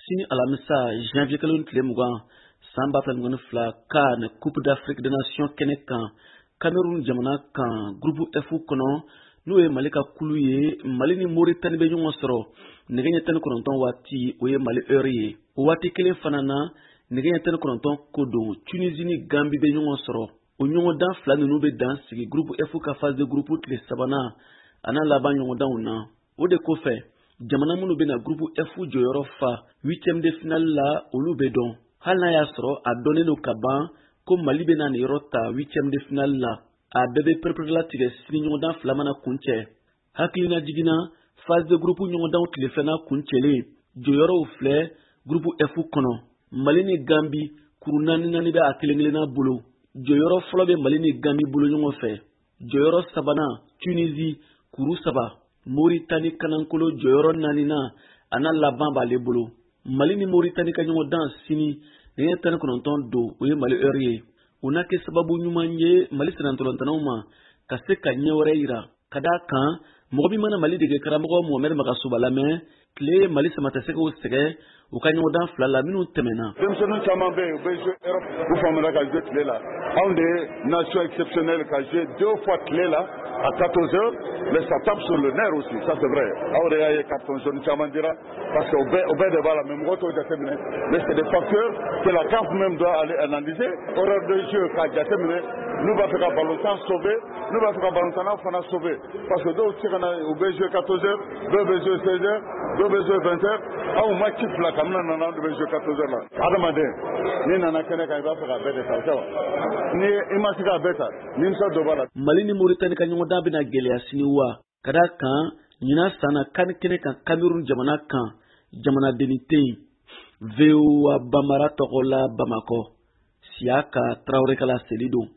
Sini alamisa, janvier kalo tile 20 san 2022, CAN, Coupe d'Afrique des Nations kɛnɛ kan, Cameroun jamana kan, groupe F kɔnɔ, n'o ye Mali ka kulu ye, Mali ni Moritani bɛ ɲɔgɔn sɔrɔ nɛgɛ ɲɛ 19 waati, o ye Mali heure ye. O waati kelen fana na, nɛgɛ ɲɛ 19 ko don, Tunisie ni Gambie bɛ ɲɔgɔn sɔrɔ. O ɲɔgɔndan fila ninnu bɛ dan sigi groupe F ka phase de groupe tile sabanan a n'a laban ɲɔgɔndanw na. O de kɔfɛ, jamana minnu bɛna groupe F jɔyɔrɔ fa huitième de finale la, olu bɛ dɔn, hali n'a y'a sɔrɔ a dɔnnen don ka ban ko Mali bɛna nin yɔrɔ ta huitième de finale la. A bɛɛ bɛ pereperelatigɛ sini ɲɔgɔndan fila mana kuncɛ. Hakilina jiginna, phase de groupe ɲɔgɔndanw tile filanan kuncɛlen, jɔyɔrɔw filɛ: groupe F kɔnɔ, Mali ni Gambi, kuru naani naani bɛ a kelen kelenna bolo. Jɔyɔrɔ fɔlɔ bɛ Mali ni Gambi bolo ɲɔgɔn fɛ. Jɔyɔrɔ sabanan, Tunisie, kuru saba. Moritani kanankolo, jɔyɔrɔ naaninan a n'a laban b'ale bolo. Mali ni Moritani ka ɲɔgɔn dan sini nɛgɛ 19 don, o ye Mali heure ye. O na kɛ sababu ɲuman ye Mali sennantolatannaw ma ka se ka ɲɛ wɛrɛ yira, ka d'a kan mɔgɔ min mana Mali dege karamɔgɔ Mohamɛd Magasoba lamɛn, tile ye Mali samatasɛgɛw sɛgɛ u ka ɲɔgɔndan fila la minnu tɛmɛna. Denmisɛnnin caman bɛ yen, u bɛ jouer Europe, u famana ka jouer tile la. Anw de ye nation exceptionnelle ka jouer deux fois tile la à 14 heures, mais ça tape sur le nerf aussi, ça c'est vrai. Aw de y'a ye, carton jaune caman dira parce que o bɛɛ de b'a la, mais mɔgɔ t'o jateminɛ. Mais c'est des facteurs que la CAF même doit aller analyser, horaire de jeu k'a jateminɛ. N'u b'a fɛ ka ballon sauver, n'u b'a fɛ ka ballon fana sauver, parce que dɔw tɛ se ka na, u bɛ jouer 14 heures, dɔw bɛ jouer 16 heures, dɔw bɛ jouer 20 heures. Anw match fila kabini nana, anw de bɛ jouer 14 heures la. Adamaden n'i nana kɛnɛ kan, i b'a fɛ k'a bɛɛ de ta, o tɛ wa? Ni i ma se k'a bɛɛ ta, nimisa dɔ b'a la. Mali ni Moritani ka ɲɔgɔndan bɛna gɛlɛya sini wa, ka d'a kan ɲinan san na, CAN kɛnɛ kan, Cameroun jamana kan, jamanadenni tɛ yen. VOA Bambara tɔgɔ la, Bamakɔ, Siyaka Tarawele ka laseli don.